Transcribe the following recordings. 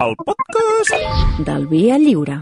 El podcast del Via Lliure.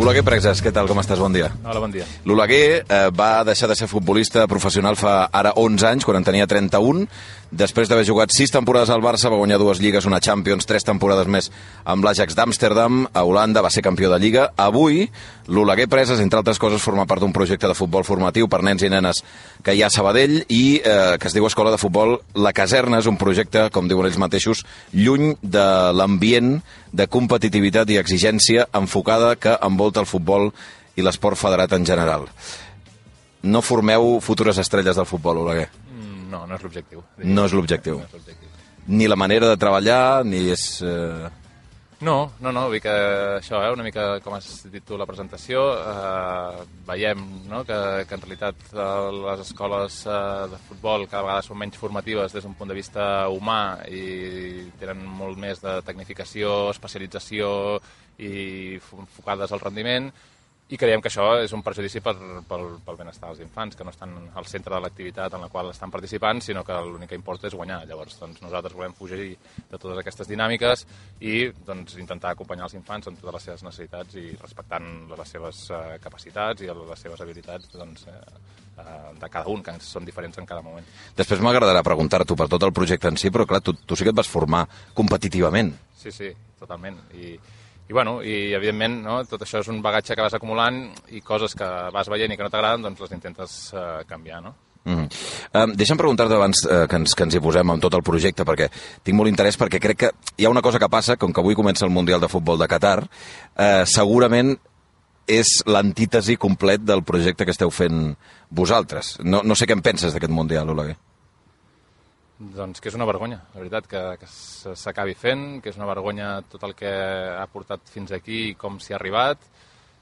Oleguer Preses, què tal? Com estàs? Bon dia. Hola, bon dia. L'Oleguer va deixar de ser futbolista professional fa ara 11 anys, quan en tenia 31. Després d'haver jugat 6 temporades al Barça, va guanyar 2 lligues, una Champions, 3 temporades més amb l'Ajax d'Amsterdam. A Holanda va ser campió de Lliga. Avui, l'Oleguer Preses, entre altres coses, forma part d'un projecte de futbol formatiu per nens i nenes que hi ha a Sabadell i que es diu Escola de Futbol La Caserna. És un projecte, com diuen ells mateixos, lluny de l'ambient de competitivitat i exigència enfocada que envolta el futbol i l'esport federat en general. No formeu futures estrelles del futbol, Oleguer? No, no és l'objectiu. No és l'objectiu. Ni la manera de treballar, ni és... No, vull dir que això, una mica com has dit tu la presentació, veiem que en realitat les escoles de futbol cada vegada són menys formatives des d'un punt de vista humà i tenen molt més de tecnificació, especialització i enfocades al rendiment, i creiem que això és un perjudici pel benestar dels infants, que no estan al centre de l'activitat en la qual estan participant, sinó que l'únic que importa és guanyar. Llavors, nosaltres volem fugir de totes aquestes dinàmiques i intentar acompanyar els infants en totes les seves necessitats i respectant les seves capacitats i les seves habilitats de cada un, que són diferents en cada moment. Després m'agradarà preguntar-t'ho per tot el projecte en si, però clar, tu sí que et vas formar competitivament. Sí, totalment. I evidentment, tot això és un bagatge que vas acumulant i coses que vas veient i que no t'agraden, doncs les intentes canviar, no? Deixa'm preguntar-te abans que ens hi posem amb tot el projecte, perquè tinc molt interès, perquè crec que hi ha una cosa que passa, com que avui comença el Mundial de Futbol de Qatar, segurament és l'antítesi complet del projecte que esteu fent vosaltres. No sé què en penses d'aquest Mundial, Oleguer. Doncs que és una vergonya, la veritat, que s'acabi fent, que és una vergonya tot el que ha portat fins aquí i com s'hi ha arribat,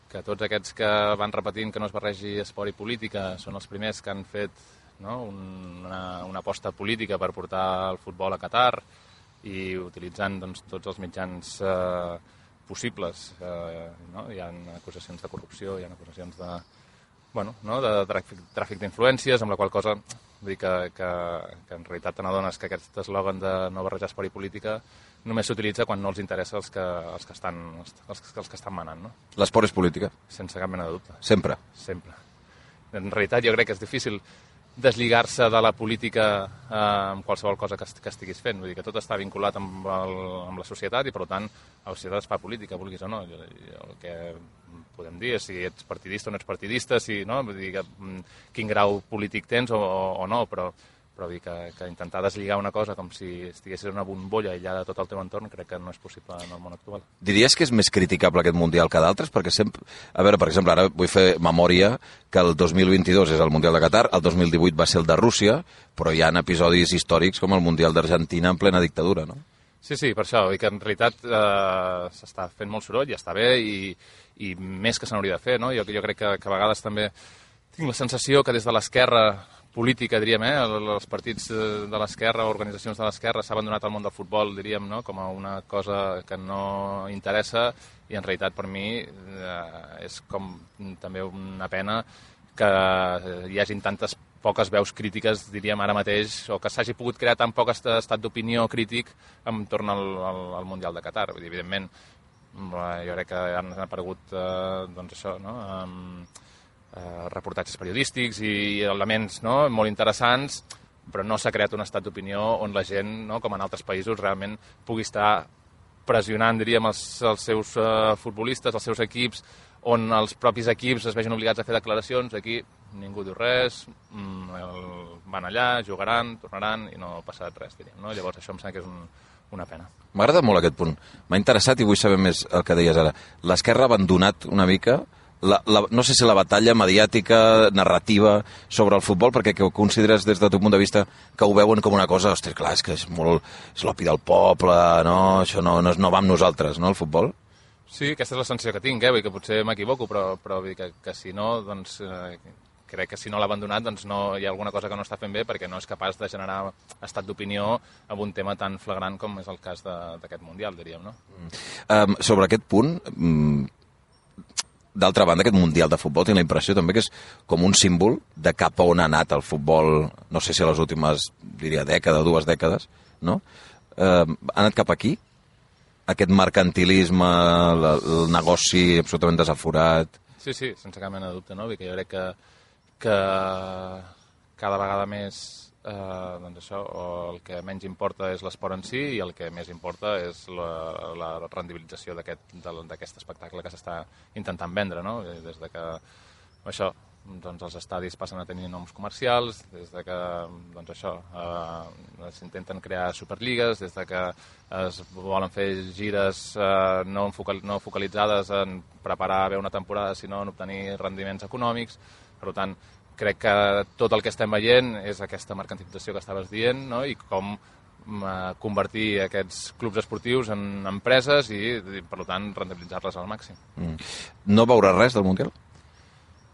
que tots aquests que van repetint que no es barregi esport i política són els primers que han fet una aposta política per portar el futbol a Qatar i utilitzant tots els mitjans possibles. Hi ha acusacions de corrupció, hi ha acusacions de tràfic d'influències, amb la qual cosa vull dir que en realitat te n'adones que aquest eslògan de no barrejar esport i política només s'utilitza quan no els interessa els que estan manant, no? L'esport és política? Sense cap mena de dubte. Sempre? Sempre. En realitat jo crec que és difícil deslligar-se de la política amb qualsevol cosa que estiguis fent. Vull dir que tot està vinculat amb la societat i, per tant, a la societat es fa política, vulguis o no. El que podem dir és si ets partidista o no ets partidista, vull dir quin grau polític tens o no, però vull dir que intentar deslligar una cosa com si estiguessis en una bombolla aïllada de tot el teu entorn crec que no és possible en el món actual. Diries que és més criticable aquest Mundial que d'altres? Perquè sempre... A veure, per exemple, ara vull fer memòria que el 2022 és el Mundial de Qatar, el 2018 va ser el de Rússia, però hi ha episodis històrics com el Mundial d'Argentina en plena dictadura, no? Sí, per això, i que en realitat s'està fent molt soroll i està bé i més que se n'hauria de fer, no? Jo crec que a vegades també tinc la sensació que des de l'esquerra política, diríem, els partits de l'esquerra, organitzacions de l'esquerra s'ha abandonat el món del futbol, diríem, no? Com a una cosa que no interessa i en realitat per mi és com també una pena que hi hagin tantes poques veus crítiques, diríem ara mateix, o que s'hagi pogut crear tan poc estat d'opinió crític entorn al Mundial de Qatar. Vull dir, evidentment, jo crec que han aparegut reportatges periodístics i elements molt interessants, però no s'ha creat un estat d'opinió on la gent, com en altres països, realment pugui estar pressionant, diríem, els seus futbolistes, els seus equips, on els propis equips es vegin obligats a fer declaracions. Aquí ningú diu res, van allà, jugaran, tornaran i no ha passat res, diríem, no? Llavors això em sembla que és una pena. M'agrada molt aquest punt. M'ha interessat i vull saber més el que deies ara. L'esquerra ha abandonat una mica, no sé si la batalla mediàtica, narrativa sobre el futbol, perquè que ho consideres des del teu punt de vista que ho veuen com una cosa, ostres, clar, és que és l'opi del poble, no? Això no va amb nosaltres, no, el futbol? Sí, aquesta és la sensació que tinc, vull dir que potser m'equivoco, però vull dir que si no, doncs crec que si no l'ha abandonat, doncs no hi ha alguna cosa que no està fent bé perquè no és capaç de generar estat d'opinió amb un tema tan flagrant com és el cas d'aquest Mundial, diríem, no? Sobre aquest punt, d'altra banda, aquest Mundial de Futbol tinc la impressió també que és com un símbol de cap a on ha anat el futbol, no sé si a les últimes, diria, dues dècades, no? Ha anat cap aquí? Aquest mercantilisme, el negoci absolutament desaforat... Sí, sense cap mena de dubte, no? Que jo crec que cada vegada més doncs això, el que menys importa és l'esport en si i el que més importa és la rendibilització d'aquest espectacle que s'està intentant vendre, no? Des de que això, doncs els estadis passen a tenir noms comercials, des de que doncs això, s'intenten crear superligues, des de que es volen fer gires no focalitzades en preparar bé una temporada, sinó en obtenir rendiments econòmics. Per tant, crec que tot el que estem veient és aquesta mercantilització que estaves dient, no? I com convertir aquests clubs esportius en empreses i per tant, rendibilitzar-les al màxim. No veuràs res del Mundial?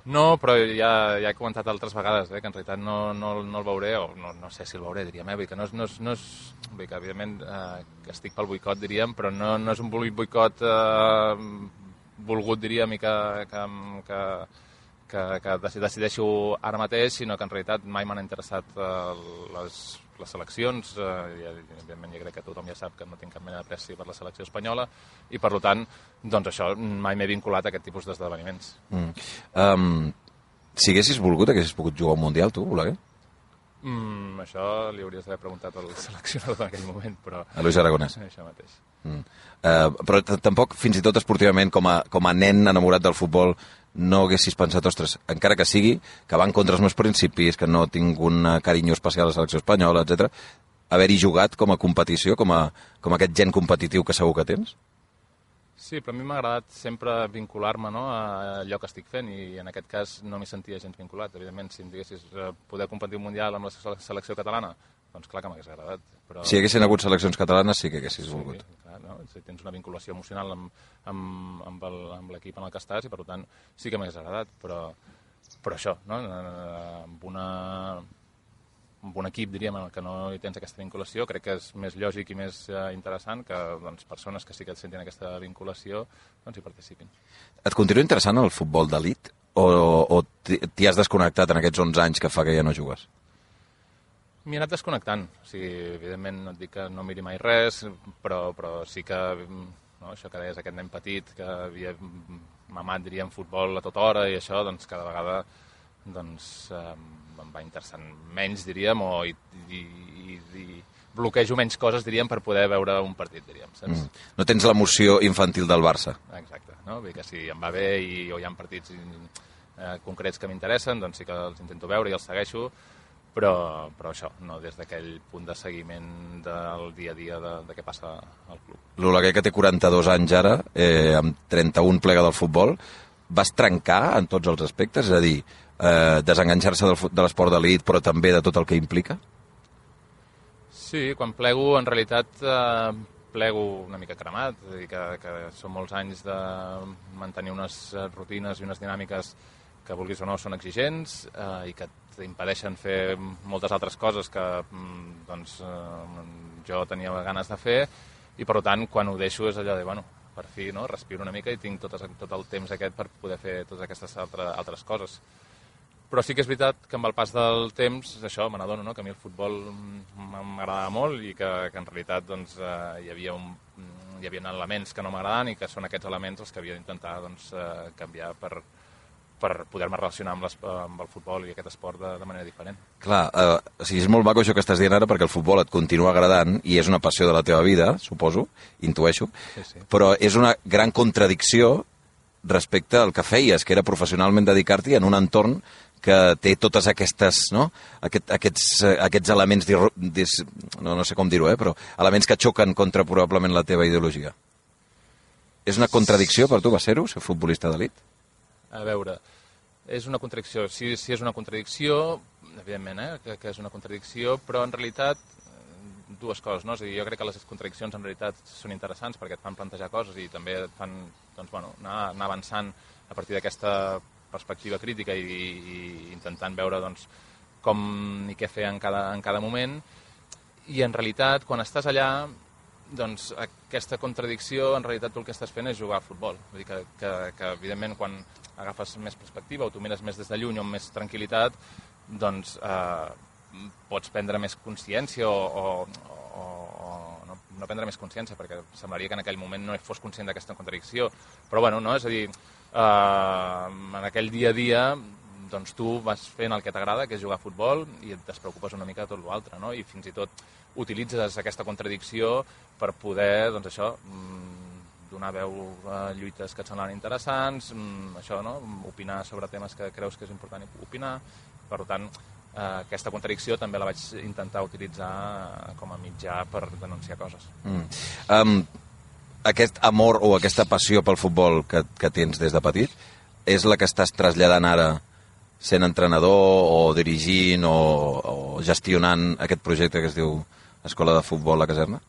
No, però ja he comentat altres vegades que en realitat no el veuré, o no sé si el veuré, diríem, vull que vull que evidentment que estic pel boicot, diríem, però no és un boicot volgut, diríem, i que decideixo ara mateix, sinó que en realitat mai m'han interessat les seleccions, i evidentment jo crec que tothom ja sap que no tinc cap mena d'apreci per la selecció espanyola, i per tant, doncs això, mai m'he vinculat a aquest tipus d'esdeveniments. Si haguessis volgut, haguessis pogut jugar un Mundial, tu, Oleguer? Això li hauries d'haver preguntat al seleccionador en aquell moment, però... A Luis Aragonès. Això mateix. Però tampoc, fins i tot esportivament, com a nen enamorat del futbol, no haguessis pensat, ostres, encara que sigui, que van contra els meus principis, que no tinc un carinyo especial a la selecció espanyola, etc. Haver-hi jugat com a competició, com aquest gen competitiu que segur que tens? Sí, però a mi m'ha agradat sempre vincular-me, no, a allò que estic fent, i en aquest cas no m'hi sentia gens vinculat. Evidentment, si em diguessis poder competir un Mundial amb la selecció catalana, doncs clar que m'hagués agradat. Però... Si hi haguessin hagut seleccions catalanes, sí que haguessis volgut. Sí, clar, no? Si tens una vinculació emocional amb l'equip en el que estàs, i per tant sí que m'hagués agradat, però això, no? Amb un equip, diríem, en el que no hi tens aquesta vinculació, crec que és més lògic i més interessant que doncs, persones que sí que sentin aquesta vinculació doncs, hi participin. Et continua interessant el futbol d'elit o t'hi has desconnectat en aquests 11 anys que fa que ja no jugues? M'hi he anat desconnectant. O sigui, evidentment no et dic que no miri mai res, però sí que això que deies, aquest nen petit que havia mamat, diríem, futbol a tota hora i això, doncs cada vegada em va interessant menys, diríem, i bloquejo menys coses, diríem, per poder veure un partit, diríem, saps? No tens l'emoció infantil del Barça. Exacte, no? Vull dir que si em va bé o hi ha partits concrets que m'interessen, doncs sí que els intento veure i els segueixo, però això, no des d'aquell punt de seguiment del dia a dia de què passa al club. L'Oleguer, que té 42 anys ara, amb 31 plega del futbol, vas trencar en tots els aspectes? És a dir, desenganxar-se de l'esport d'elit, però també de tot el que implica? Sí, quan plego, en realitat, plego una mica cremat, és a dir, que són molts anys de mantenir unes rutines i unes dinàmiques que vulguis o no són exigents i que t'impedeixen fer moltes altres coses que doncs, jo tenia ganes de fer, i per tant quan ho deixo és allò de, bueno, per fi, no? Respiro una mica i tinc tot el temps aquest per poder fer totes aquestes altres coses. Però sí que és veritat que amb el pas del temps, això, me n'adono, no? Que a mi el futbol m'agradava molt i que en realitat doncs, hi havia elements que no m'agraden i que són aquests elements els que havia d'intentar doncs, canviar per poder-me relacionar amb el futbol i aquest esport de manera diferent. Clar, o sigui, és molt maco això que estàs dient ara, perquè el futbol et continua agradant i és una passió de la teva vida, suposo, intueixo, sí. Però és una gran contradicció respecte al que feies, que era professionalment dedicar-t'hi en un entorn que té totes aquestes, no? Aquests elements, no sé com dir-ho, però elements que xoquen contra probablement la teva ideologia. És una contradicció per tu, va ser-ho, ser futbolista d'elit? A veure, és una contradicció. Sí, és una contradicció, evidentment, que és una contradicció, però en realitat dues coses, no? És a dir, jo crec que les contradiccions en realitat són interessants perquè et fan plantejar coses i també et fan doncs, bueno, anar avançant a partir d'aquesta perspectiva crítica i intentant veure doncs, com i què fer en cada moment. I en realitat, quan estàs allà, doncs aquesta contradicció, en realitat tu el que estàs fent és jugar a futbol. Vull dir que evidentment, quan agafes més perspectiva o tu mires més des de lluny o amb més tranquil·litat, doncs pots prendre més consciència o no prendre més consciència, perquè semblaria que en aquell moment no fos conscient d'aquesta contradicció. Però bueno, no? És a dir, en aquell dia a dia doncs tu vas fent el que t'agrada, que és jugar a futbol, i et despreocupes una mica de tot l'altre, no? I fins i tot utilitzes aquesta contradicció per poder, doncs això, donar veu a lluites que et semblen interessants, això, no? Opinar sobre temes que creus que és important opinar. Per tant, aquesta contradicció també la vaig intentar utilitzar com a mitjà per denunciar coses. Aquest amor o aquesta passió pel futbol que tens des de petit és la que estàs traslladant ara sent entrenador o dirigint o gestionant aquest projecte que es diu Escola de Futbol a Caserna?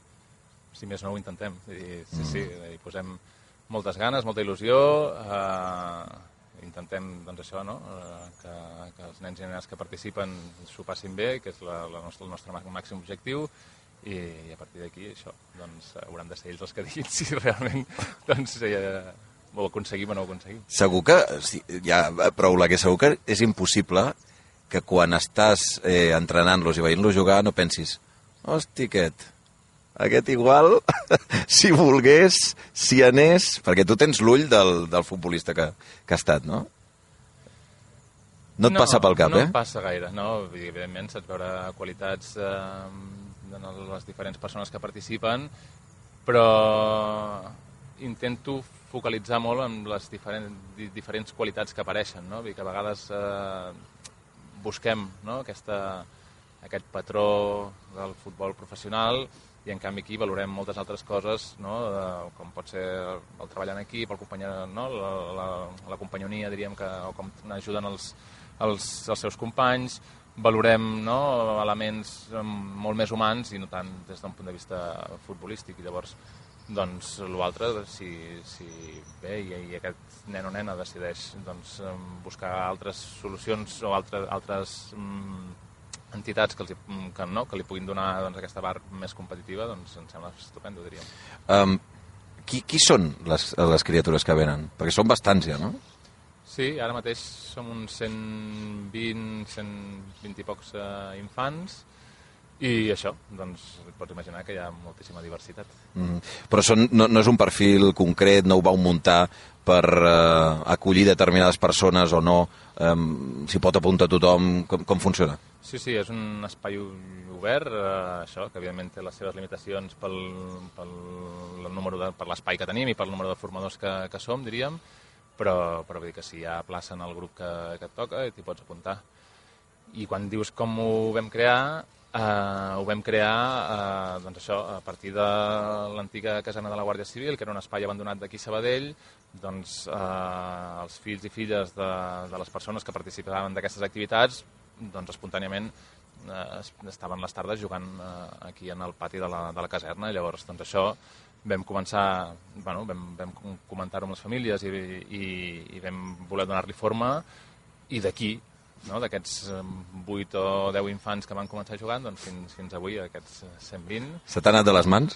Si més no, ho intentem. Sí, hi posem moltes ganes, molta il·lusió, intentem, doncs això, no? Que els nens i nenes que participen s'ho passin bé, que és el nostre màxim objectiu, i a partir d'aquí, això, doncs hauran de ser ells els que diguin si realment doncs, ho aconseguim o no ho aconseguim. Segur que, ja prou la que segur que és impossible que quan estàs entrenant-los i veient-los jugar no pensis, hosti, aquest igual, si volgués, si anés... Perquè tu tens l'ull del futbolista que ha estat, no? No et passa pel cap, No em passa gaire, no. Evidentment, saps veure qualitats de les diferents persones que participen, però intento focalitzar molt en les diferents qualitats que apareixen, no? Vull dir que a vegades busquem, no? Aquest patró del futbol professional, i en canvi aquí valorem moltes altres coses, no? Com pot ser el treball en equip, no? la companyonia, diríem, o com ajuden els seus companys, valorem, no? Elements molt més humans i no tant des d'un punt de vista futbolístic, i llavors doncs l'altre, si bé i aquest nen o nena decideix doncs, buscar altres solucions o altres entitats que li puguin donar doncs, aquesta part més competitiva, doncs em sembla estupendo, diríem. Qui són les criatures que venen? Perquè són bastants ja, no? Sí, ara mateix som uns 120 i pocs infants, i això, doncs pots imaginar que hi ha moltíssima diversitat. Però no és un perfil concret, no ho vau muntar per acollir determinades persones o no? S'hi pot apuntar tothom? Com funciona? Sí, és un espai obert, això, que evidentment té les seves limitacions per l'espai que tenim i pel número de formadors que som, diríem, però vull dir que si hi ha plaça en el grup que et toca, t'hi pots apuntar. I quan dius com ho vam crear, doncs això, a partir de l'antiga caserna de la Guàrdia Civil, que era un espai abandonat d'aquí a Sabadell, doncs els fills i filles de les persones que participaven d'aquestes activitats, doncs espontàniament estaven les tardes jugant aquí en el pati de la caserna, i llavors doncs això vam començar, vam comentar-ho amb les famílies i vam voler donar-li forma, i d'aquí, d'aquests 8 o 10 infants que van començar jugant, doncs fins avui, aquests 120. Se t'ha anat de les mans?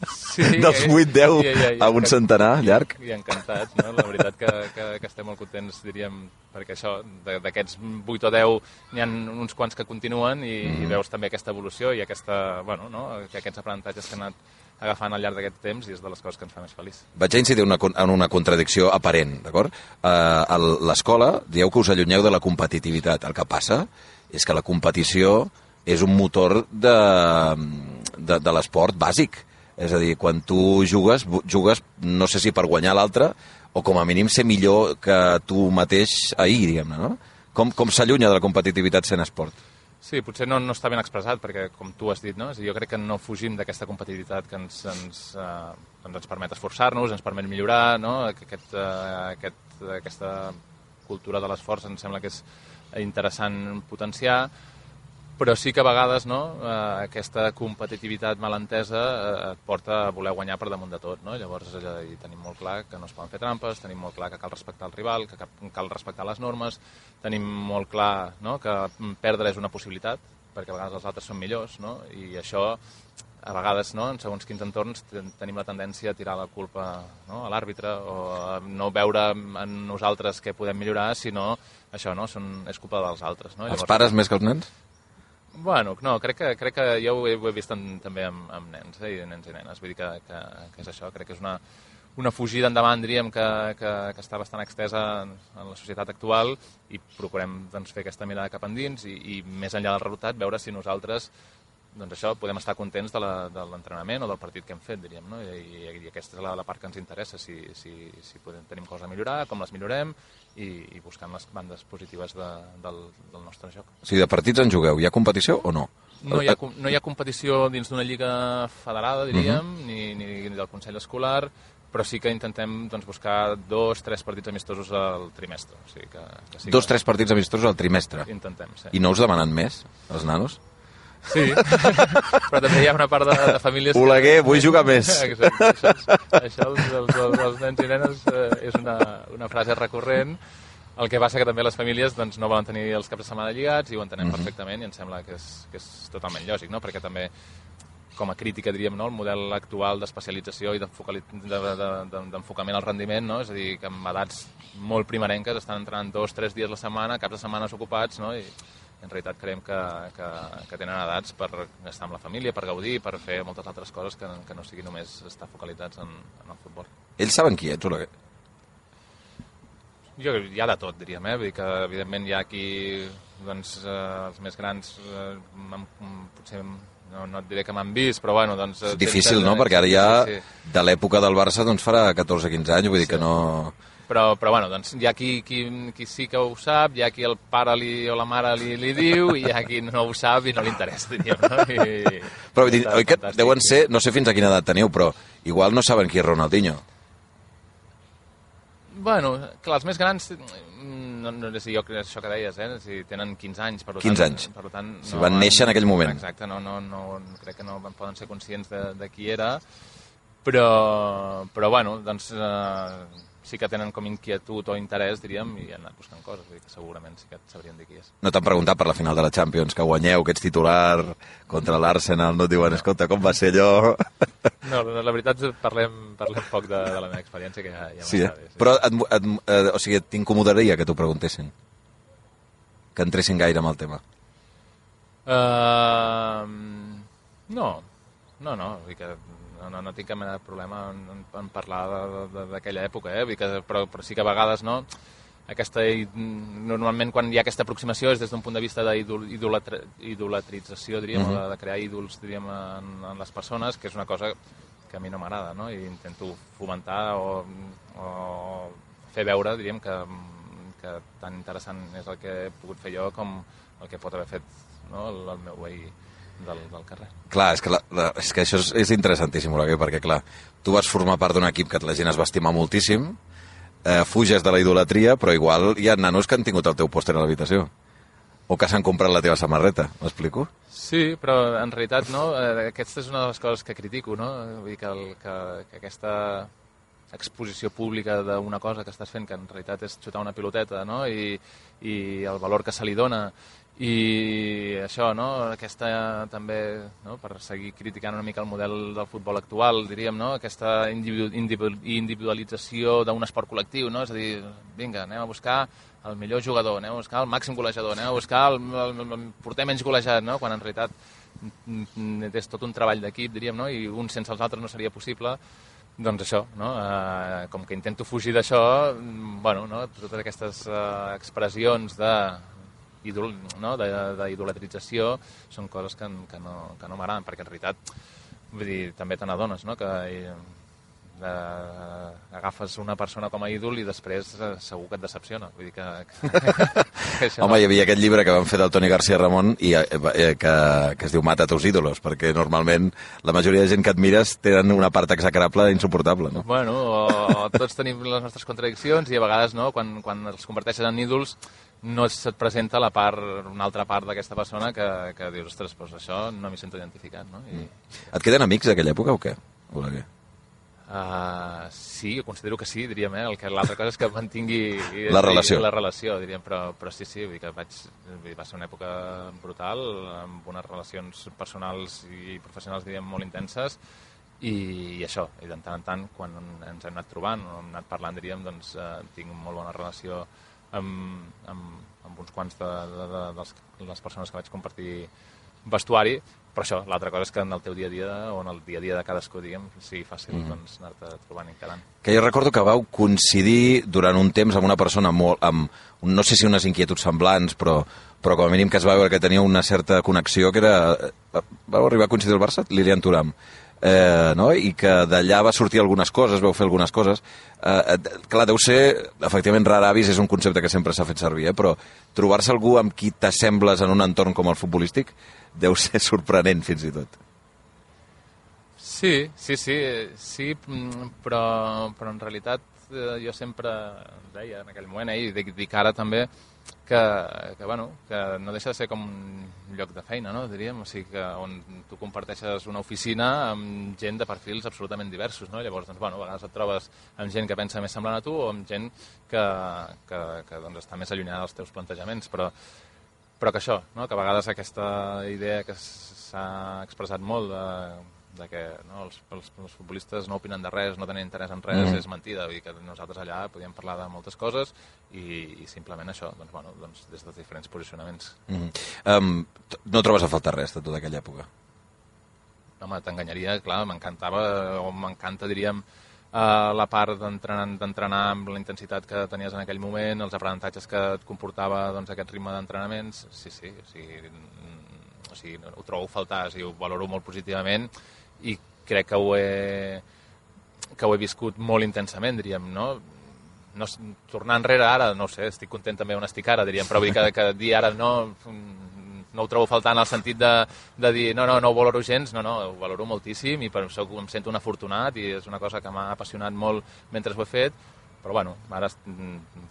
Sí. Dels 8-10 a un centenar, llarg? I encantats, no? La veritat que estem molt contents, diríem, perquè això, d'aquests 8 o 10 n'hi ha uns quants que continuen i veus també aquesta evolució i aquests aprenentatges que han anat agafant al llarg d'aquest temps, i és de les coses que ens fa més feliç. Vaig a incidir en una contradicció aparent, d'acord? A l'escola dieu que us allunyeu de la competitivitat. El que passa és que la competició és un motor de l'esport bàsic. És a dir, quan tu jugues no sé si per guanyar l'altre o com a mínim ser millor que tu mateix ahir, diguem-ne, no? Com s'allunya de la competitivitat sent esport? Sí, potser no està ben expressat, perquè com tu has dit, no? És a dir, jo crec que no fugim d'aquesta competitivitat que ens permet esforçar-nos, ens permet millorar, no? Aquesta cultura de l'esforç em sembla que és interessant potenciar, però sí que a vegades aquesta competitivitat malentesa et porta a voler guanyar per damunt de tot, no? Llavors tenim molt clar que no es poden fer trampes, tenim molt clar que cal respectar el rival, que cal respectar les normes, tenim molt clar que perdre és una possibilitat, perquè a vegades els altres són millors, no? I això a vegades, no, en segons quins entorns tenim la tendència a tirar la culpa, no, a l'àrbitre o a no veure en nosaltres què podem millorar, sinó això, no, és culpa dels altres. No? Els pares més que els nens? Bueno, no, crec que jo ho he vist també amb nens, i nens i nenes. Vull dir que és això, crec que és una fugida endavant, diríem, que està bastant extesa en la societat actual i procurem doncs, fer aquesta mirada cap endins i més enllà del resultat, veure si nosaltres doncs això, podem estar contents de l'entrenament o del partit que hem fet, diríem, no? I aquesta és la part que ens interessa, si tenim coses a millorar, com les millorem i buscant les bandes positives del nostre joc. O sigui, de partits en jugueu, hi ha competició o no? No hi ha competició dins d'una lliga federada, diríem, ni del Consell Escolar, però sí que intentem doncs, buscar 2-3 partits amistosos al trimestre. O sigui que sí 2-3 partits amistosos al trimestre? Intentem, sí. I no us demanen més, els nanos? Sí, però també hi ha una part de famílies... Oleguer, vull jugar més. Exacte, això dels nens i nenes és una frase recurrent. El que passa que també les famílies doncs, no volen tenir els caps de setmana lligats i ho entenem perfectament i em sembla que és totalment lògic, no? Perquè també, com a crítica, diríem, no? El model actual d'especialització i d'enfocament al rendiment, no? És a dir, que amb edats molt primerenques estan entrenant 2-3 dies a la setmana, caps de setmanes ocupats, no? I en realitat creiem que tenen edats per estar amb la família, per gaudir, per fer moltes altres coses que no sigui només estar focalitzats en el futbol. Ells saben qui ets, Oleguer? Hi ha de tot, diríem, Vull dir que, evidentment, hi ha qui, doncs, els més grans, potser no et diré que m'han vist, però bueno, doncs... És difícil, no? Perquè ara ja, de l'època del Barça, doncs farà 14-15 anys, vull dir que no... Però bueno, doncs hi ha qui sí que ho sap, hi ha qui el pare o la mare li diu, i hi ha qui no ho sap i no li interessa, diríem, no? Però vull dir, oi que deuen ser, no sé fins a quina edat teniu, però igual no saben qui és Ronaldinho. Bueno, clar, els més grans, no sé jo crec això que deies, si tenen 15 anys, per tant... 15 anys, per tant, si van néixer en aquell moment. Exacte, crec que no poden ser conscients de qui era, però bueno, doncs... sí que tenen com inquietud o interès, diríem, i han anat buscant coses, vull dir que segurament sí que sabrien dir qui és. No t'han preguntat per la final de la Champions, que guanyeu, que ets titular contra l'Arsenal, no et diuen, escolta, com va ser allò? No, la veritat és que parlem poc de la meva experiència, que ja sí, m'està bé. Sí. Però, o sigui, t'incomodaria que t'ho preguntessin? Que entressin gaire amb el tema? No, vull dir que... No tinc cap mena de problema en parlar d'aquella època, vull dir que, però sí que a vegades no, normalment quan hi ha aquesta aproximació és des d'un punt de vista d'idolatrització, diríem, de crear ídols, diríem, en les persones, que és una cosa que a mi no m'agrada, no? I intento fomentar o fer veure, diríem, que tan interessant és el que he pogut fer jo com el que pot haver fet, no? el meu veí del carrer. Clar, és que això és interessantíssim, Oleguer, perquè clar, tu vas formar part d'un equip que la gent es va estimar moltíssim, fuges de la idolatria, però igual hi ha nanos que han tingut el teu pòster a l'habitació o que s'han comprat la teva samarreta, m'explico? Sí, però en realitat no, aquesta és una de les coses que critico, no? Vull dir que aquesta exposició pública d'una cosa que estàs fent, que en realitat és xutar una piloteta, no? I el valor que se li dona, i això, no? Aquesta també, no? Per seguir criticant una mica el model del futbol actual, diríem, no? Aquesta individualització d'un esport col·lectiu, no? És a dir, vinga, anem a buscar el millor jugador, anem a buscar el màxim golejador, anem a buscar el porter menys golejat, no? Quan en realitat és tot un treball d'equip, diríem, no? I un sense els altres no seria possible. Doncs això, no? Com que intento fugir d'això, bueno, no? Totes aquestes expressions d'idolatrització són coses que no m'agraden, perquè en realitat, vull dir, també te n'adones, no? Que agafes una persona com a ídol i després segur que et decepciona. Vull dir que això... Home, hi havia aquest llibre que van fer del Toni García Ramon i que es diu Mata tus ídolos, perquè normalment la majoria de gent que admires tenen una part execrable insuportable, no? Bueno, tots tenim les nostres contradiccions i a vegades, no, quan els converteixen en ídols no se't presenta una altra part d'aquesta persona que dius, ostres, doncs això no m'hi sento identificat, no? Et queden amics d'aquella època o què, Oleguer? Sí, considero que sí, diríem, l'altra cosa és que mantingui la relació, diríem, però sí, vull dir que va ser una època brutal, amb unes relacions personals i professionals, diríem, molt intenses, i això, i de tant en tant, quan ens hem anat trobant, o hem anat parlant, diríem, doncs tinc molt bona relació amb uns quants de les persones que vaig compartir vestuari, però això, l'altra cosa és que en el teu dia a dia, o en el dia a dia de cadascú, diguem, sigui fàcil doncs, anar-te trobant i encarant. Que jo recordo que vau coincidir durant un temps amb una persona amb no sé si unes inquietuds semblants, però com a mínim que es va veure que tenia una certa connexió, que era... Vau arribar a coincidir al Barça? Lilian Thuram. No? I que d'allà va sortir algunes coses, vau fer algunes coses. Clar, deu ser, efectivament, rar avis és un concepte que sempre s'ha fet servir, però trobar-se algú amb qui t'assembles en un entorn com el futbolístic deu ser sorprenent, fins i tot. Sí, però en realitat jo sempre deia en aquell moment, i dic ara també, que no deixa de ser com un lloc de feina, no? Diríem, o sigui, que on tu comparteixes una oficina amb gent de perfils absolutament diversos, no? Llavors, doncs, a vegades et trobes amb gent que pensa més semblant a tu o amb gent que doncs, està més allunyada dels teus plantejaments, però que això, no? Que a vegades aquesta idea que s'ha expressat molt de que els futbolistes no opinen de res, no tenen interès en res, és mentida. Vull dir que nosaltres allà podíem parlar de moltes coses i simplement això, doncs, des dels diferents posicionaments. No trobes a faltar res de tota aquella època? Home, t'enganyaria, clar, m'encanta, diríem, la part d'entrenar amb la intensitat que tenies en aquell moment, els aprenentatges que et comportava doncs, aquest ritme d'entrenaments, sí, o sigui, ho trobo a faltar, o sigui, ho valoro molt positivament i crec que ho he viscut molt intensament, diríem, no? Tornar enrere ara, no ho sé, estic content també on estic ara, diríem, però vull dir que dir ara no ho trobo a faltar en el sentit de dir no ho valoro gens, no, ho valoro moltíssim i per això em sento un afortunat i és una cosa que m'ha apassionat molt mentre ho he fet, però ara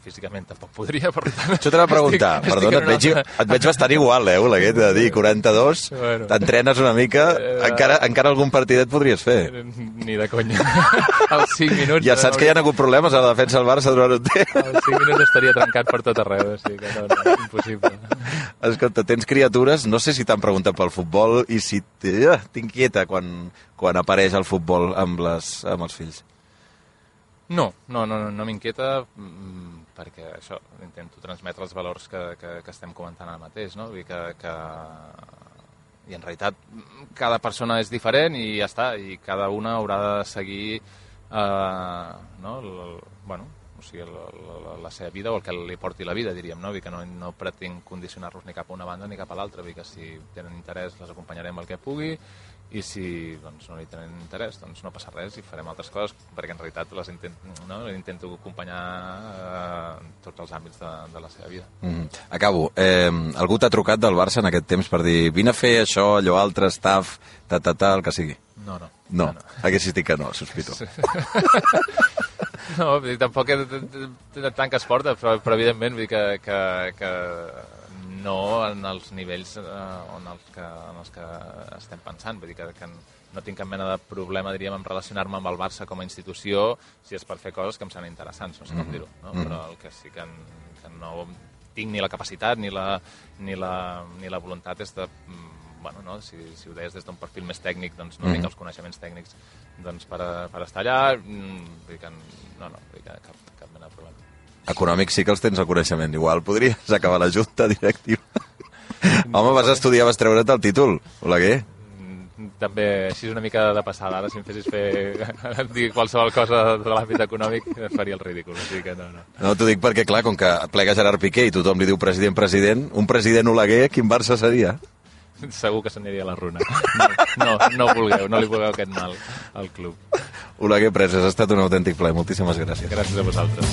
físicament tampoc podria, per tant... Això t'anava a preguntar, perdona, et veig bastant igual, Oleguer, de dir 42, t'entrenes una mica, encara algun partidet podries fer. Ni de conya. Als 5 minuts... Ja saps que hi ha hagut problemes a la defensa del Barça durant un temps. Als 5 minuts estaria trencat per tot arreu, o sigui que no, impossible. Escolta, tens criatures, no sé si t'han preguntat pel futbol i si t'inquieta quan apareix el futbol amb els fills. No m'inquieta perquè això, intento transmetre els valors que estem comentant ara mateix, no? Vull dir i en realitat cada persona és diferent i ja està, i cada una haurà de seguir o sigui, la seva vida o el que li porti la vida, diríem, no? Vull dir que no pretenc condicionar-los ni cap a una banda ni cap a l'altra, vull dir que si tenen interès les acompanyarem el que pugui i si no hi tenen interès doncs no passa res i farem altres coses perquè en realitat les intento acompanyar en tots els àmbits de la seva vida. Acabo. Algú t'ha trucat del Barça en aquest temps per dir vine a fer això, allò altre, staff, el que sigui? No. Haguessis dit que no, sospito. No, tampoc tant que es porta, però evidentment vull dir que no en els nivells en els que estem pensant. Vull dir que no tinc cap mena de problema, diríem, en relacionar-me amb el Barça com a institució si és per fer coses que em semblen interessants, no sé com dir-ho, no? Però el que sí que no tinc ni la capacitat ni la voluntat és de... si ho deies des d'un perfil més tècnic, doncs no tinc els coneixements tècnics per estar allà, vull dir que cap mena de problema. Econòmics sí que els tens el coneixement, igual podries acabar la junta directiva. Home, vas treure't el títol, Oleguer. També, així una mica de passada, ara si em fessis dir qualsevol cosa de l'àmbit econòmic faria el ridícul, o sigui que no. No, t'ho dic perquè, clar, com que plega Gerard Piqué i tothom li diu president, un president Oleguer, quin Barça seria? Segur que s'aniria a la runa. No li vulgueu aquest mal al club. Oleguer Presas, ha estat un autèntic plaer. Moltíssimes gràcies. Gràcies a vosaltres.